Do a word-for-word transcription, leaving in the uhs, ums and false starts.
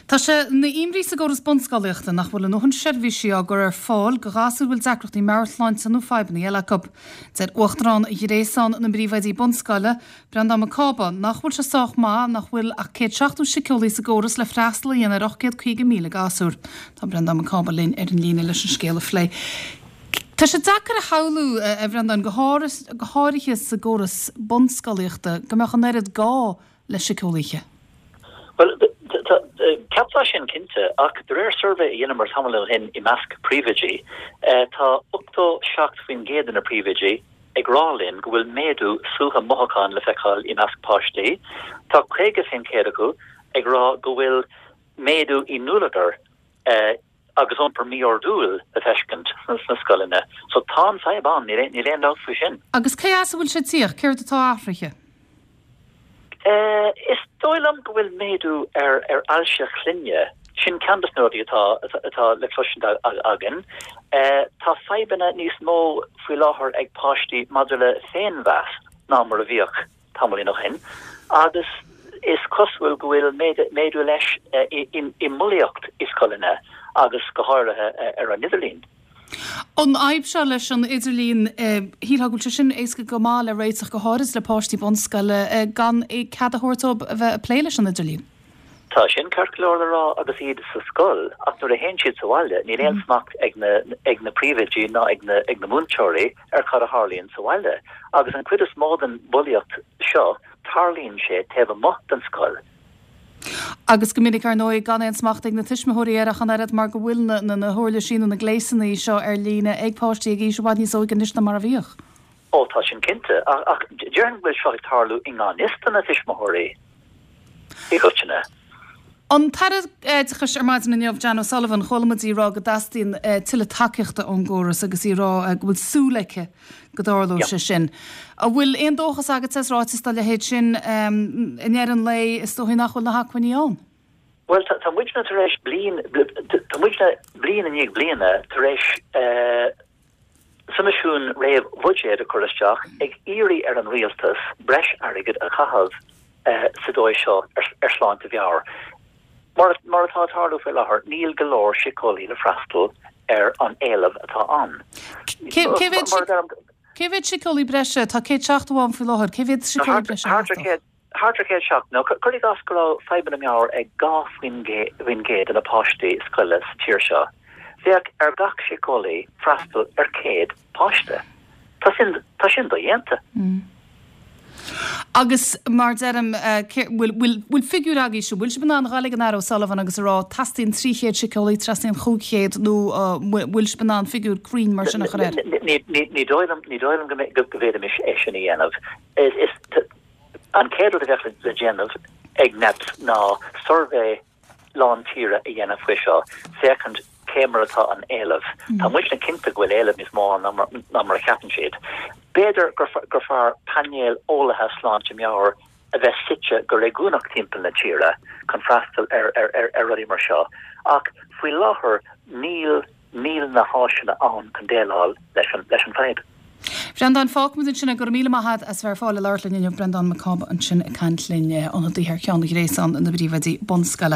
Tá sé ina imní sa gcóras bunscolaíochta nach bhfuil a ndóthain seirbhísí á gcur ar fáil do ghasúir a bhfuil deacrachtaí meabhairshláinte nó fadhbanna eile acu. Deir Uachtarán Ghréasán na bPríomhoidí Bunscoile, Breandán Mac Cába, nach bhfuil sé sách maith nach bhfuil ach céad seachtó síceolaí sa gcóras le freastal a dhéanamh ar ocht gcéad caoga míle gasúr. Tá Breandán Mac Cába linn ar an líne leis an scéal a phlé. Tá sé deacair a shamhlú a Bhreandáin go háirithe sa gcóras bunscolaíochta go mbeadh an oiread gá le síceolaithe. Well, ceapfá sin cinnte ach de réir suirbhé a dheineamar tamall ó shin i measc príomhoidí, tá ochtó seacht faoin gcéad de na príomhoidí ag rá linn go bhfuil méadú suaitheadh mothúchán le feiceáil i measc páistí. Tá caoga faoin gcéad acu ag rá go bhfuil méadú i ndúlagar agus iompar mí-ordúil le feiscint sna scoileanna. So tá an fadhb ann, níl aon dabht faoi sin. Agus cé as a bhfuil sé ag tíocht, céard atá athraithe? Is dóigh liom go bhfuil méadú ar ar ailse clainne. Sin ceann de na rudaí atá atá le cloisint againn. Tá fadhbanna níos mó faoi láthair ag páistí maidir le féinmheas ná mar a bhíodh tamaillín ó shin agus is cosúil go bhfuil méadú leis i mbulaíocht i scoileanna agus go háirithe ar an idirlíon. An fhadhb seo leis an idirlíon, shílfeá go bhfuil sé sin éasca go maith le réiteach go háirid le páistí bunscoile gan cead a thabhairt dóibh a bheith ag plé leis an idirlíon. Tá sin ceart go leor le rá agus iad sa scoil ach nuair a théann siad sa bhaile níl aon smacht ag na ag na príomhoidí ná ag na ag na múinteoirí ar cad a tharlaíonn sa bhaile. Agus an chuid is mó den bhulaíocht seo tarlaíonn sé taobh amuigh den scoil. Agus go minic ar ndóigh gan aon smacht ag na tuismitheoirí air ach an oiread mar go bhfuil na na na huirlisí nó na gléasanna seo ar líne ag páistí ag aois i bhfad níos óige anois ná mar a bhíodh. Ó tá sin cinnte, ach ach déarfainn go bhfuil seo ag tarlú i ngan fhios do na tuismitheoirí i gcoitinne. An tAire Oideachais ar maidin inniu, Jan O'Sullivan, chuala muid í ag rá go dteastaíonn tuilleadh tacaíochta ón gcóras agus í ag rá go bhfuil súil aici go dtarlóidh sé sin. An bhfuil aon dóchas agat as ráiteas dá leithéid sin i ndeireadh an lae is dóichí nach bhfuil na hacmhainní ann? Bhuel, tá muidne tar éis bliain, tá muidne bliain i ndiaidh bliana tar éis soimisiún réamh-bhuiséid a chur isteach ag iarraidh ar an rialtas breis airgid a chaitheamh sa dóigh seo ar shláinte mheabhair. Mar mar atá ag tarlú faoi láthair, níl go leor síceolaí le freastal ar an éileamh atá ann. Cé cé mhéad síceolaí breise? Tá céad seachtó ann faoi láthair. Cé mhéad síceolaí breise Thart ar céad thart ar céad seachtó. Nó cuir i gcás go raibh fadhbanna meabhair ag dhá faoin faoin gcéad de na páistí scoile sa tír seo. Bheadh ar gach síceolaí freastal ar céad páiste. Tá sin tá sin dodhéanta. Agus mar deirim, bhfuil bhfuil figiúr agaibhse, bhfuil sibh in ann a ghabháil ag an Aire O'Sullivan agus a rá teastaíonn trí chéad síceolaí, teastaíonn chúig chéad nó bhfuil sibh in ann figiúr cruinn mar sin a chur air? Ní dóigh liom ní dóigh liom go go bhféadfaimis é sin a dhéanamh. Is an chéad rud a bheadh le déanamh ag NEPS ná suirbhé lán tíre a dhéanamh faoi seo, féachaint cé mar atá an éileamh. Tá muidne cinnte go bhfuil éileamh níos mó ná mar a cheapann siad. B'fhéidir gur fearr painéal eolaithe sláinte meabhair a bheith suite go réigiúnach timpeall na tíre chun freastal ar ar rudaí mar seo, ach faoi láthair níl níl na háiseanna ann chun déileáil leis an leis an bhfadhb. Breandán, fágfaimid ansin é. Go raibh míle maith agat as bheith ar fáil le labhairt linn inniu. Breandán Mac Cába ansin ag caint linn, ionadaí thar ceann Ghréasán na bPríomhoidí Bunscoile.